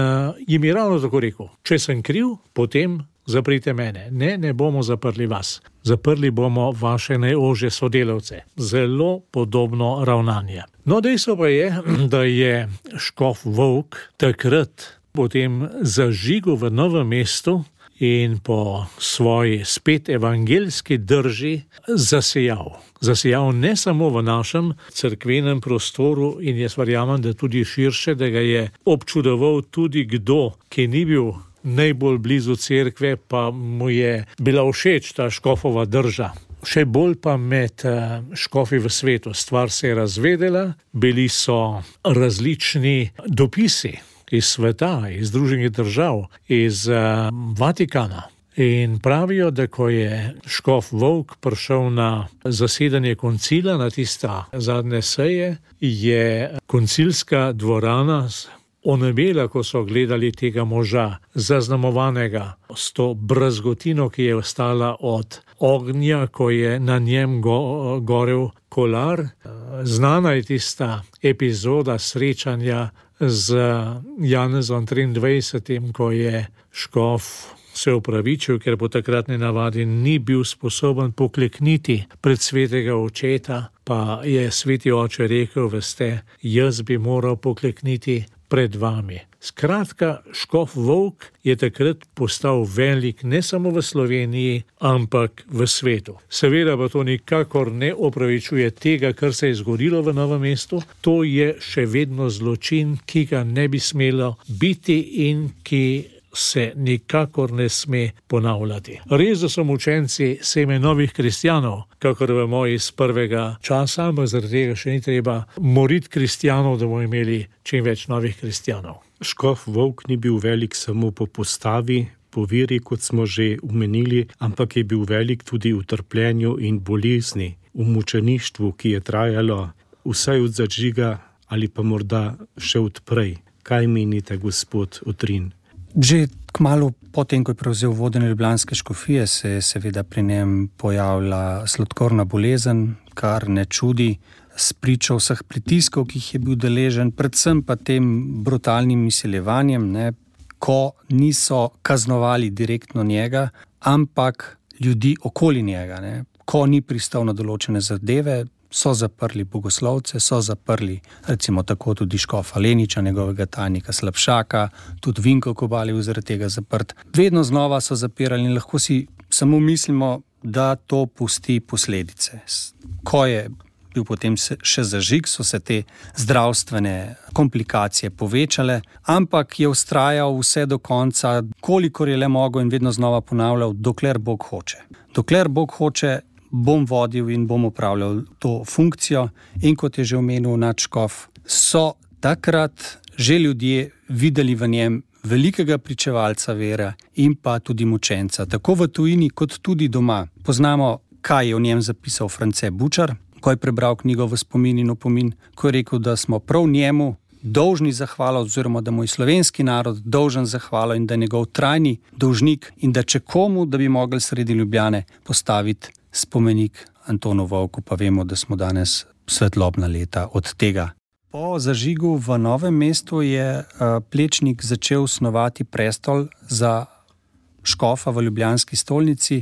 jim je ravno tako rekel, če sem kriv, potem zaprite mene. Ne bomo zaprli vas. Zaprli bomo vaše najožje sodelavce. Zelo podobno ravnanje. No, dejstvo pa je, da je škof Volk takrat potem zažigal v Novem mestu in po svoji spet evangeljski drži zasejal. Zasejal ne samo v našem cerkvenem prostoru in jaz verjamem, da tudi širše, da ga je občudoval tudi kdo, ki ni bil najbolj blizu cerkve, pa mu je bila všeč ta škofova drža. Še bolj pa med škofi v svetu. Stvar se je razvedela, bili so različni dopisi iz sveta, iz Združenih držav, iz Vatikana. In pravijo, da ko je škof Volk prišel na zasedanje koncila, na tista zadnje seje, je koncilska dvorana onebela, ko so gledali tega moža, zaznamovanega s to brazgotino, ki je ostala od ognja, ko je na njem gorel kolar. Znana je tista epizoda srečanja z Janezom 23., ko je škof se opravičil, ker po takratni navadi ni bil sposoben poklekniti pred svetega očeta, pa je sveti oče rekel, veste, jaz bi moral poklekniti pred vami. Skratka, škof Volk je takrat postal velik ne samo v Sloveniji, ampak v svetu. Seveda pa to nikakor ne opravičuje tega, kar se je zgodilo v Novem mestu. To je še vedno zločin, ki ga ne bi smelo biti in ki se nikakor ne sme ponavljati. Res, da so mučenci seme novih kristjanov, kakor vemo iz prvega časa, ampak zaradi tega še ni treba moriti kristjanov, da bomo imeli čim več novih kristjanov. Škof Volk ni bil velik samo po postavi, po veri, kot smo že omenili, ampak je bil velik tudi v trpljenju in bolezni, v mučeništvu, ki je trajalo vsaj od zažiga ali pa morda še od prej. Kaj menite, gospod Utrin? Že kmalu potem, ko je prevzel vodenje ljubljanske škofije, se je seveda pri njem pojavila sladkorna bolezen, kar ne čudi, spričo vseh pritiskov, ki jih je bil deležen, predvsem pa tem brutalnim izsiljevanjem, ko niso kaznovali direktno njega, ampak ljudi okoli njega. Ko ni pristal na določene zadeve, so zaprli bogoslovce, so zaprli recimo tako tudi škofa Leniča, njegovega tajnika Slapšaka, tudi Vinko Kobal je bil zaradi tega zaprt. Vedno znova so zapirali in lahko si samo mislimo, da to pusti posledice. Ko je bil potem še zažig, so se te zdravstvene komplikacije povečale, ampak je vztrajal vse do konca, kolikor je le mogel in vedno znova ponavljal, dokler Bog hoče. Dokler Bog hoče, bom vodil in bom upravljal to funkcijo in kot je že omenil nadškof, so takrat že ljudje videli v njem velikega pričevalca vere in pa tudi mučenca, tako v tujini kot tudi doma. Poznamo, kaj je o njem zapisal France Bučar, ko je prebral knjigo V spomin in opomin, ko je rekel, da smo prav njemu dolžni zahvalo, oziroma da mu je slovenski narod dolžen zahvalo in da je njegov trajni dolžnik in da če komu, da bi mogli sredi Ljubljane postaviti spomenik Antonu Volku, pa vemo, da smo danes svetlobna leta od tega. Po zažigu v Novem mestu je Plečnik začel snovati prestol za škofa v ljubljanski stolnici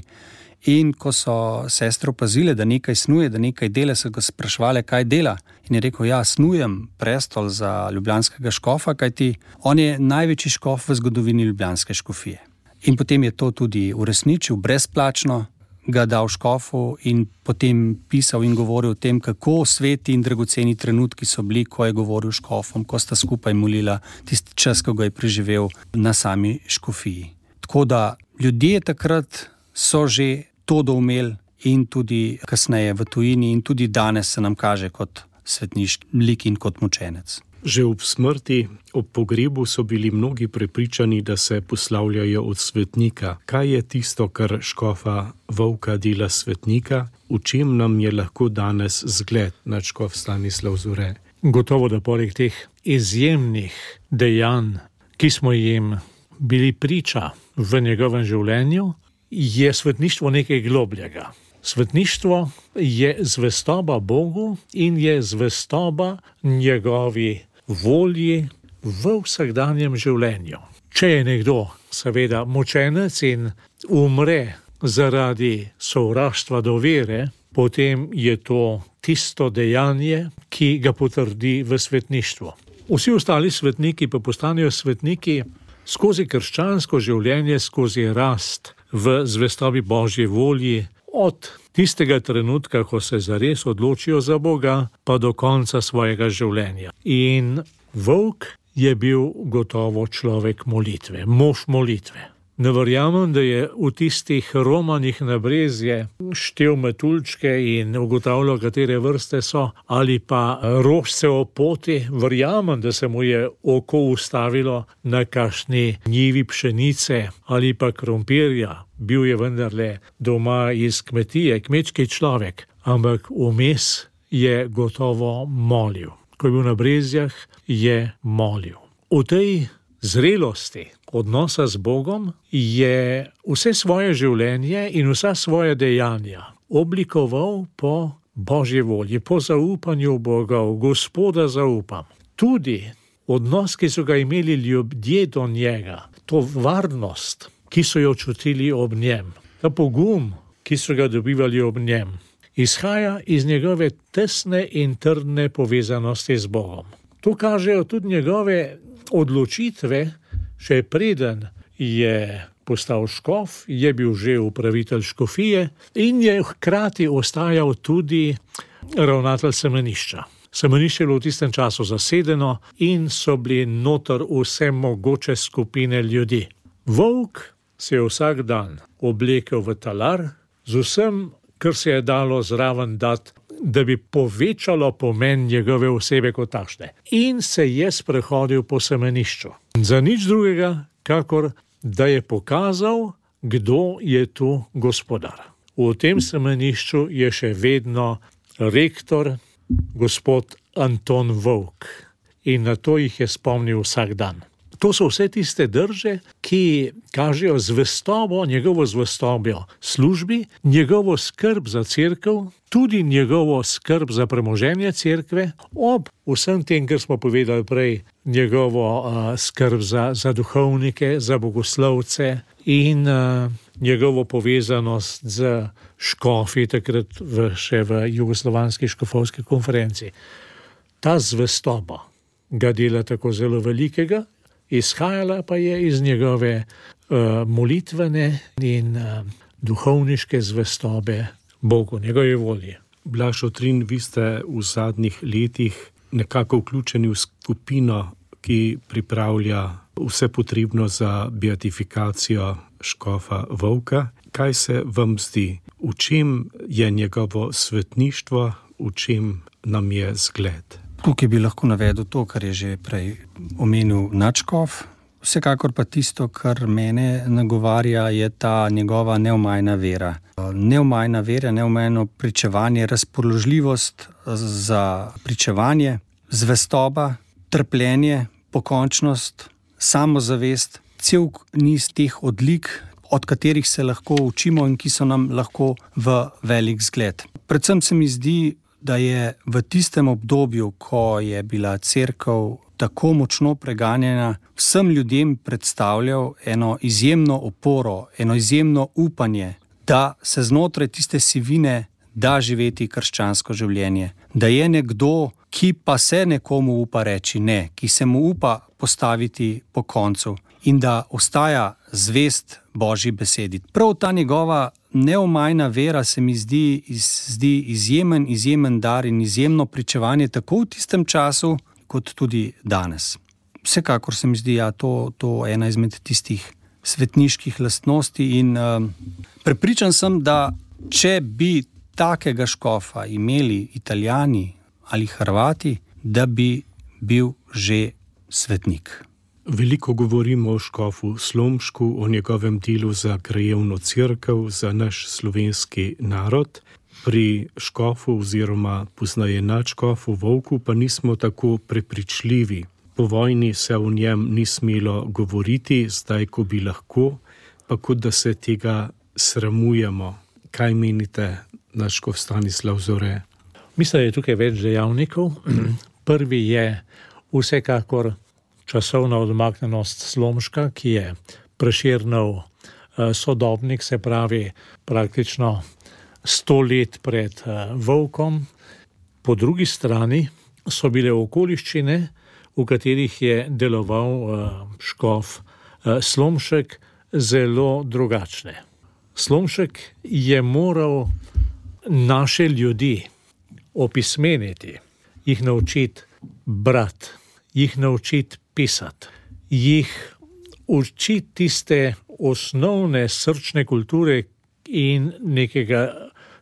in ko so sestre opazile, da nekaj snuje, da nekaj dela, so ga sprašvale, kaj dela. In je rekel, snujem prestol za ljubljanskega škofa, kajti on je največji škof v zgodovini ljubljanske škofije. In potem je to tudi uresničil brezplačno, ga dal škofu in potem pisal in govoril o tem, kako sveti in dragoceni trenutki so bili, ko je govoril škofom, ko sta skupaj molila tisti čas, ko ga je preživel na sami škofiji. Tako da ljudje takrat so že to doumeli in tudi kasneje v tujini in tudi danes se nam kaže kot svetniški lik in kot mučenec. Že ob smrti, ob pogrebu so bili mnogi prepričani, da se poslavljajo od svetnika. Kaj je tisto, kar škofa Vovka dela svetnika? V čem nam je lahko danes zgled nadškof Stanislav Zore? Gotovo, da poleg teh izjemnih dejanj, ki smo jim bili priča v njegovem življenju, je svetništvo nekaj globljega. Svetništvo je zvestoba Bogu in je zvestoba njegovi volji v vsakdanjem življenju. Če je nekdo seveda mučenec in umre zaradi sovraštva do vere, potem je to tisto dejanje, ki ga potrdi v svetništvu. Vsi ostali svetniki pa postanejo svetniki skozi krščansko življenje, skozi rast v zvestobi Božji volji, od tistega trenutka, ko se zares odločijo za Boga, pa do konca svojega življenja. In Vovk je bil gotovo človek molitve, mož molitve. Ne verjamem, da je v tistih romanih na Brezje štel metuljčke in ugotavljal, katere vrste so, ali pa rožce o poti. Verjamem, da se mu je oko ustavilo na kakšni njivi pšenice ali pa krompirja. Bil je vendarle doma iz kmetije, kmečki človek, ampak vmes je gotovo molil. Ko je bil na Brezjah, je molil. V tej zrelosti odnosa z Bogom je vse svoje življenje in vsa svoja dejanja oblikoval po Božji volji, po zaupanju Boga, Gospoda zaupam. Tudi odnos, ki so ga imeli ljudje do njega, to varnost, ki so jo čutili ob njem, ta pogum, ki so ga dobivali ob njem, izhaja iz njegove tesne in trdne povezanosti z Bogom. To kažejo tudi njegove odločitve, še preden je postal škof, je bil že upravitelj škofije in je hkrati ostajal tudi ravnatelj semenišča. Semenišče je bilo v tistem času zasedeno in so bili noter vse mogoče skupine ljudi. Vovk se je vsak dan oblekel v talar z vsem, kar se je dalo zraven dati, da bi povečalo pomen njegove osebe kot takšne. In se je sprehodil po semenišču. Za nič drugega, kakor da je pokazal, kdo je tu gospodar. V tem semenišču je še vedno rektor, gospod Anton Vovk. In na to jih je spomnil vsak dan. To so vse tiste drže, ki kažejo zvestobo, njegovo zvestobo službi, njegovo skrb za cerkev, tudi njegovo skrb za premoženje cerkve, ob vsem tem, kar smo povedali prej, njegovo skrb za duhovnike, za bogoslovce in njegovo povezanost z škofi, takrat še v Jugoslovanski škofovski konferenci. Ta zvestoba ga dela tako zelo velikega, izhajala pa je iz njegove molitvene in duhovniške zvestobe Bogu, njegove volje. Blaž Otrin, vi ste v zadnjih letih nekako vključeni v skupino, ki pripravlja vse potrebno za beatifikacijo škofa Vovka. Kaj se vam zdi? V čem je njegovo svetništvo, v čem nam je zgled? Tukaj bi lahko navedel to, kar je že prej omenil nadškof. Vsekakor pa tisto, kar mene nagovarja, je ta njegova neomajna vera. Neomajna vera, neomajno pričevanje, razpoložljivost za pričevanje, zvestoba, trpljenje, pokončnost, samozavest, cel niz teh odlik, od katerih se lahko učimo in ki so nam lahko v velik zgled. Predvsem se mi zdi, da je v tistem obdobju, ko je bila cerkev tako močno preganjena, vsem ljudem predstavljal eno izjemno oporo, eno izjemno upanje, da se znotraj tiste sivine da živeti krščansko življenje. Da je nekdo, ki pa se nekomu upa reči ne, ki se mu upa postaviti po koncu in da ostaja zvest Božji besedi. Prav ta njegova neomajna vera se mi zdi izjemen dar in izjemno pričevanje tako v tistem času, kot tudi danes. Vsekakor se mi zdi, to ena izmed tistih svetniških lastnosti in prepričan sem, da če bi takega škofa imeli Italijani ali Hrvati, da bi bil že svetnik. Veliko govorimo o škofu Slomšku, o njegovem delu za krajevno cerkev, za naš slovenski narod. Pri škofu oziroma poznaje nadškofu Vovku pa nismo tako prepričljivi. Po vojni se o njem ni smelo govoriti, zdaj ko bi lahko, pa kot da se tega sramujemo. Kaj menite, nadškof Stanislav Zore? Mislim, da je tukaj več dejavnikov. Prvi je vsekakor časovna odmaknjenost Slomška, ki je Prešernov sodobnik, se pravi praktično 100 let pred Vovkom. Po drugi strani so bile okoliščine, v katerih je deloval škof Slomšek, zelo drugačne. Slomšek je moral naše ljudi opismeniti, jih naučiti brati, jih naučiti pisati, jih učiti tiste osnovne srčne kulture in nekega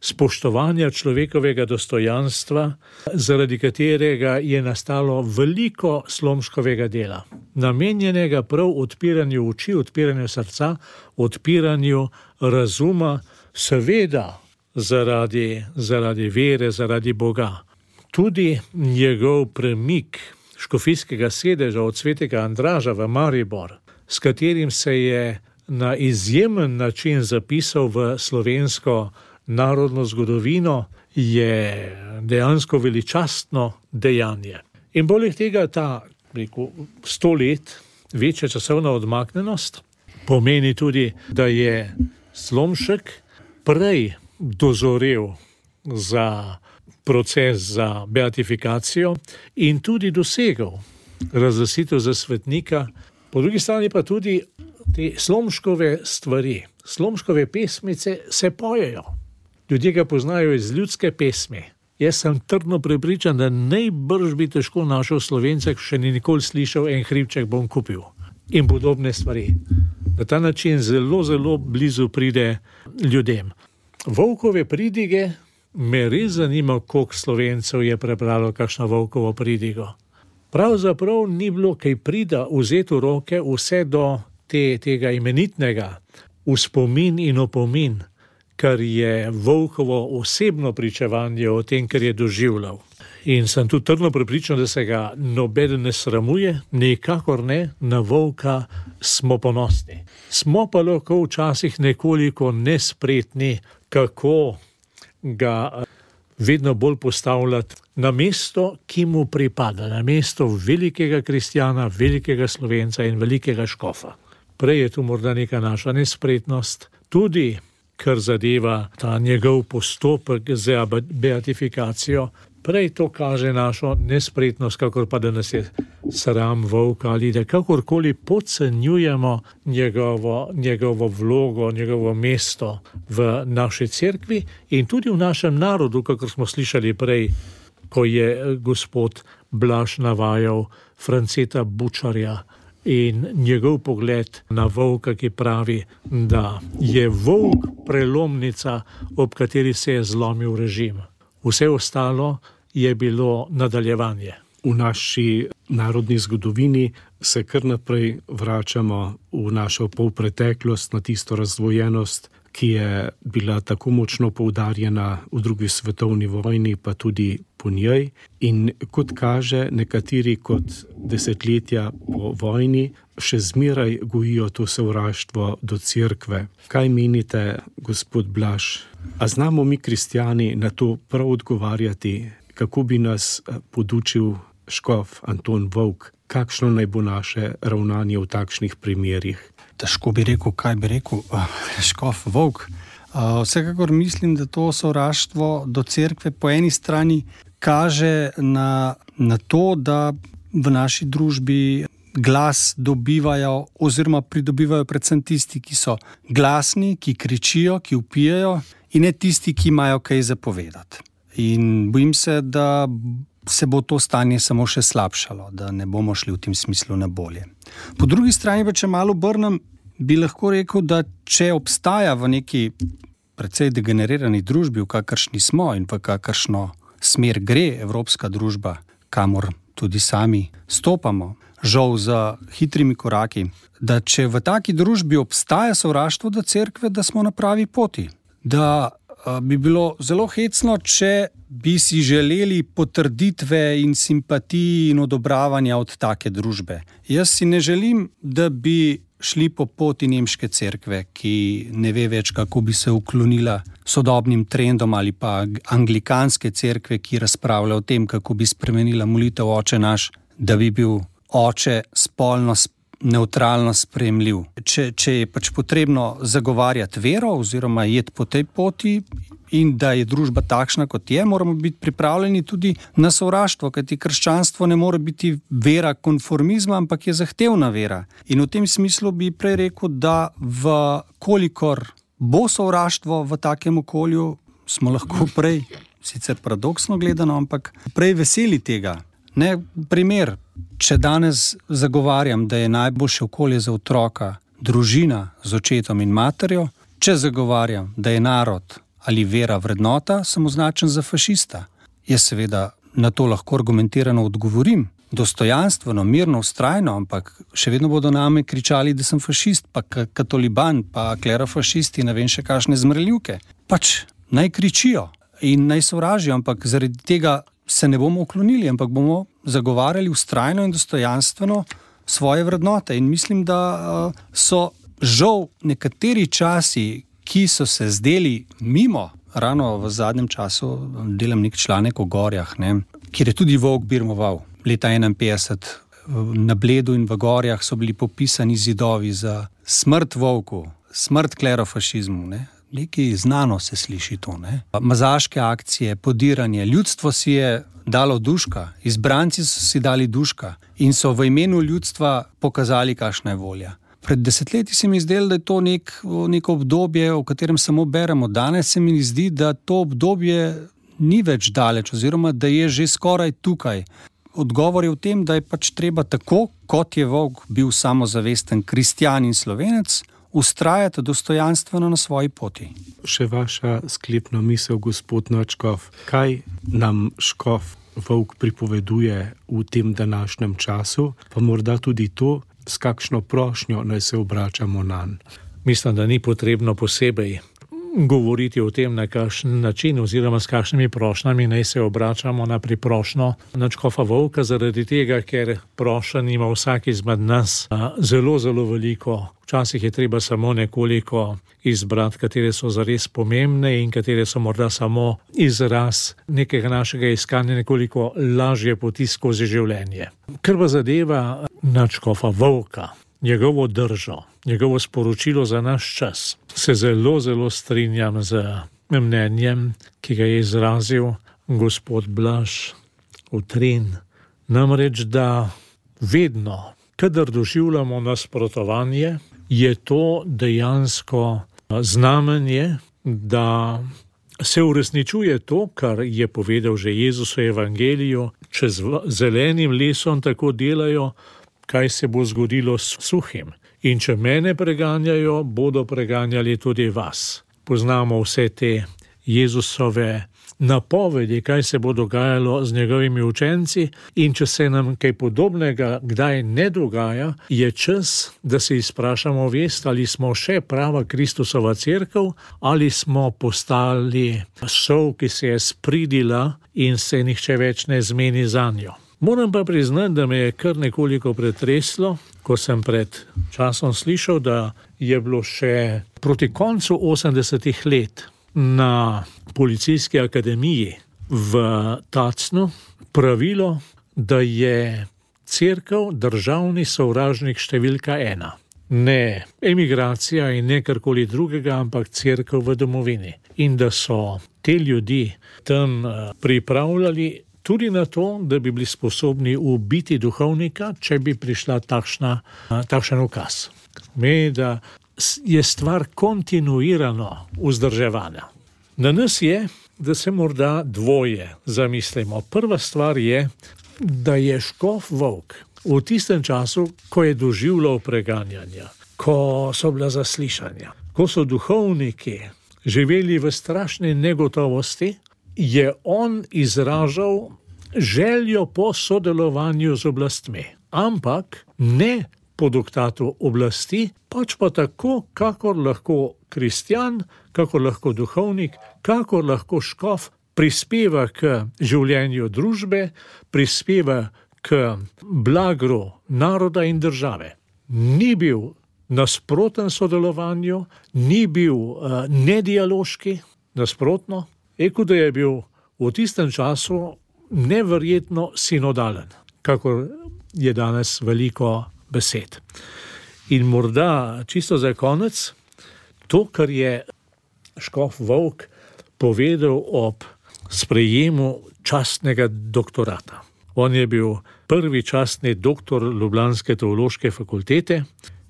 spoštovanja človekovega dostojanstva, zaradi katerega je nastalo veliko Slomškovega dela, namenjenega prav odpiranju oči, odpiranju srca, odpiranju razuma, seveda zaradi vere, zaradi Boga. Tudi njegov premik škofijskega sedeža od svetega Andraža v Maribor, s katerim se je na izjemen način zapisal v slovensko narodno zgodovino, je dejansko veličastno dejanje. In poleg tega ta 100 let večja časovna odmaknjenost pomeni tudi, da je Slomšek prej dozorel za proces za beatifikacijo in tudi dosegel razglasitev za svetnika. Po drugi strani pa tudi te Slomškove stvari, Slomškove pesmice se pojejo. Ljudje ga poznajo iz ljudske pesmi. Jaz sem trdno prepričan, da najbrž bi težko našel Slovence, še ni nikoli slišal En hribček bom kupil. In podobne stvari. Na ta način zelo, zelo blizu pride ljudem. Vovkove pridige me res zanima, koliko Slovencev je prebralo kakšno Vovkovo pridigo. Pravzaprav ni bilo kaj prida vzeti v roke vse do tega imenitnega vzpomin in opomin, kar je Vovkovo osebno pričevanje o tem, kar je doživljal. In sem tudi trdno prepričan, da se ga nobeden ne sramuje, nikakor ne, na Vovka smo ponosni. Smo pa lahko včasih nekoliko nespretni, kako ga vedno bolj postavljati na mesto, ki mu pripada, na mesto velikega kristjana, velikega Slovenca in velikega škofa. Prej je tu morda neka naša nespretnost, tudi kar zadeva ta njegov postopek za beatifikacijo, prej to kaže našo nespretnost, kakor pa da nas je sram Vovka ali da kakorkoli podcenjujemo njegovo vlogo, njegovo mesto v naši cerkvi in tudi v našem narodu, kakor smo slišali prej, ko je gospod Blaž navajal Franceta Bučarja in njegov pogled na Vovka, ki pravi, da je Vovk prelomnica, ob kateri se je zlomil režim. Vse ostalo je bilo nadaljevanje. V naši narodni zgodovini se kar naprej vračamo v našo polpreteklost, na tisto razdvojenost, ki je bila tako močno poudarjena v drugi svetovni vojni, pa tudi po njej. In kot kaže, nekateri kot desetletja po vojni še zmeraj gojijo to sovraštvo do cerkve. Kaj menite, gospod Blaž? A znamo mi kristjani na to prav odgovarjati? Kako bi nas podučil škof Anton Vovk? Kakšno naj bo naše ravnanje v takšnih primerih? Težko bi rekel, kaj bi rekel škof Vovk. Vsekakor mislim, da to sovraštvo do cerkve po eni strani kaže na na to, da v naši družbi glas dobivajo oziroma pridobivajo predvsem tisti, ki so glasni, ki kričijo, ki vpijajo, in ne tisti, ki imajo kaj zapovedati. In bojim se, da se bo to stanje samo še slabšalo, da ne bomo šli v tem smislu na bolje. Po drugi strani, če malo obrnem, bi lahko rekel, da če obstaja v neki precej degenerirani družbi, v kakršni smo in v kakršno smer gre evropska družba, kamor tudi sami stopamo, žal za hitrimi koraki, da če v taki družbi obstaja sovraštvo do cerkve, da smo na pravi poti. Da bi bilo zelo hecno, če bi si želeli potrditve in simpatij in odobravanja od take družbe. Jaz si ne želim, da bi šli po poti nemške cerkve, ki ne ve več, kako bi se uklonila sodobnim trendom, ali pa anglikanske cerkve, ki razpravlja o tem, kako bi spremenila molitev Oče naš, da bi bil oče spolno nevtralno sprejemljiv. Če je pač potrebno zagovarjati vero oziroma jeti po tej poti in da je družba takšna, kot je, moramo biti pripravljeni tudi na sovraštvo, kajti krščanstvo ne more biti vera konformizma, ampak je zahtevna vera. In v tem smislu bi prej rekel, da kolikor bo sovraštvo v takem okolju, smo lahko prej, sicer paradoksno gledano, ampak prej veseli tega. Ne, primer, če danes zagovarjam, da je najboljše okolje za otroka družina z očetom in materjo, če zagovarjam, da je narod ali vera vrednota, sem označen za fašista. Jaz seveda na to lahko argumentirano odgovorim, dostojanstveno, mirno, vztrajno, ampak še vedno bodo name kričali, da sem fašist, pa katoliban, pa klerofašisti, ne vem še kakšne zmrljivke. Pač naj kričijo in naj sovražijo, ampak zaradi tega se ne bomo uklonili, ampak bomo zagovarjali vztrajno in dostojanstveno svoje vrednote. In mislim, da so žal nekateri časi, ki so se zdeli mimo, ravno v zadnjem času delam nek članek o gorjah, kjer je tudi volk birmoval. Leta 1951 na Bledu in v gorjah so bili popisani zidovi za smrt volku, smrt klerofašizmu, Nekaj znano se sliši to, Mazaške akcije, podiranje, ljudstvo si je dalo duška, izbranci so si dali duška in so v imenu ljudstva pokazali, kakšna je volja. Pred desetletji se mi zdelo, da je to neko obdobje, o katerem samo beremo. Danes se mi zdi, da to obdobje ni več daleč oziroma da je že skoraj tukaj. Odgovor je v tem, da je pač treba tako, kot je volk bil samozavesten kristjan in Slovenec, vztrajati dostojanstveno na svoji poti. Še vaša sklepna misel, gospod Nočkov, kaj nam škof volk pripoveduje v tem današnjem času, pa morda tudi to, s kakšno prošnjo naj se obračamo nanj? Mislim, da ni potrebno posebej govoriti o tem, na kakšen način oziroma s kakšnimi prošnjami naj se obračamo na priprošnjo na škofa volka, zaradi tega, ker prošenj ima vsak izmed nas zelo, zelo veliko. Včasih je treba samo nekoliko izbrati, katere so zares pomembne in katere so morda samo izraz nekega našega iskanja nekoliko lažje poti skozi življenje. Kar pa zadeva nadškofa volka, njegovo držo, njegovo sporočilo za naš čas, se zelo, zelo strinjam z mnenjem, ki ga je izrazil gospod Blaž Utrin. Namreč, da vedno, kadar doživljamo nasprotovanje, je to dejansko znamenje, da se uresničuje to, kar je povedal že Jezus v evangeliju, če z zelenim lesom tako delajo, kaj se bo zgodilo s suhim. In če mene preganjajo, bodo preganjali tudi vas. Poznamo vse te Jezusove napovedi, kaj se bo dogajalo z njegovimi učenci, in če se nam kaj podobnega kdaj ne dogaja, je čas, da se izprašamo vest, ali smo še prava Kristusova cerkev, ali smo postali sol, ki se je spridila in se nihče več ne zmeni zanjo. Moram pa priznati, da me je kar nekoliko pretreslo, ko sem pred časom slišal, da je bilo še proti koncu 80-ih let na policijski akademiji v Tacnu pravilo, da je cerkev državni sovražnik številka 1. Ne emigracija in ne karkoli drugega, ampak cerkev v domovini. In da so te ljudi tam pripravljali tudi na to, da bi bili sposobni ubiti duhovnika, če bi prišla takšen ukaz. Pomeni, da je stvar kontinuirano vzdrževana. Na nas je, da se morda dvoje zamislimo. Prva stvar je, da je škof Vovk v tistem času, ko je doživljal preganjanja, ko so bila zaslišanja, ko so duhovniki živeli v strašni negotovosti, je on izražal željo po sodelovanju z oblastmi, ampak ne po diktatu oblasti, pač pa tako, kakor lahko kristjan, kakor lahko duhovnik, kakor lahko škof prispeva k življenju družbe, prispeva k blagru naroda in države. Ni bil nasproten sodelovanju, ni bil nedialoški, nasprotno, da je bil v tistem času neverjetno sinodalen, kakor je danes veliko besed. In morda čisto za konec, to, kar je škof Vovk povedal ob sprejemu častnega doktorata. On je bil prvi častni doktor Ljubljanske teološke fakultete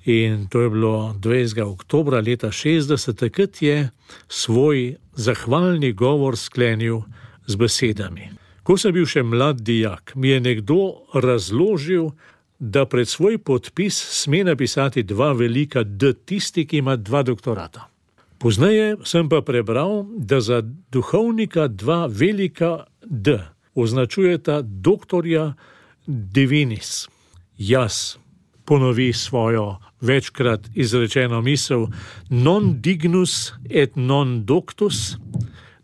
in to je bilo 20. oktobra leta 60, takrat je svoj zahvalni govor sklenil z besedami. Ko sem bil še mlad dijak, mi je nekdo razložil, da pred svoj podpis sme napisati 2 velika D, tisti, ki ima 2 doktorata. Pozneje sem pa prebral, da za duhovnika 2 velika D označujeta doktorja divinis. Jaz ponovi svojo večkrat izrečeno misel non dignus et non doctus,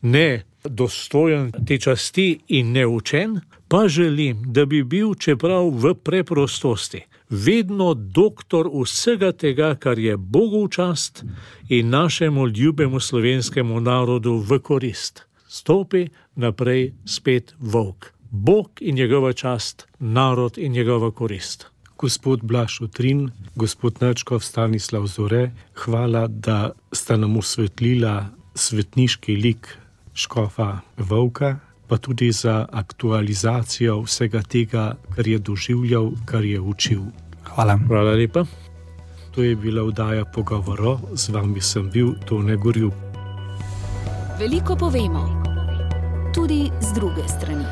ne dostojen te časti in neučen, pa želim, da bi bil, čeprav v preprostosti, vedno doktor vsega tega, kar je Bogu v čast in našemu ljubemu slovenskemu narodu v korist. Stopi naprej spet Vovk. Bog in njegova čast, narod in njegova korist. Gospod Blaž Utrin, gospod Načkov Stanislav Zore, hvala, da sta nam osvetlila svetniški lik škofa Vovka, pa tudi za aktualizacijo vsega tega, kar je doživljal, kar je učil. Hvala. Hvala lepa. To je bila oddaja Pogovoro, z vami sem bil Tone Gorjup. Veliko povemo, tudi z druge strani.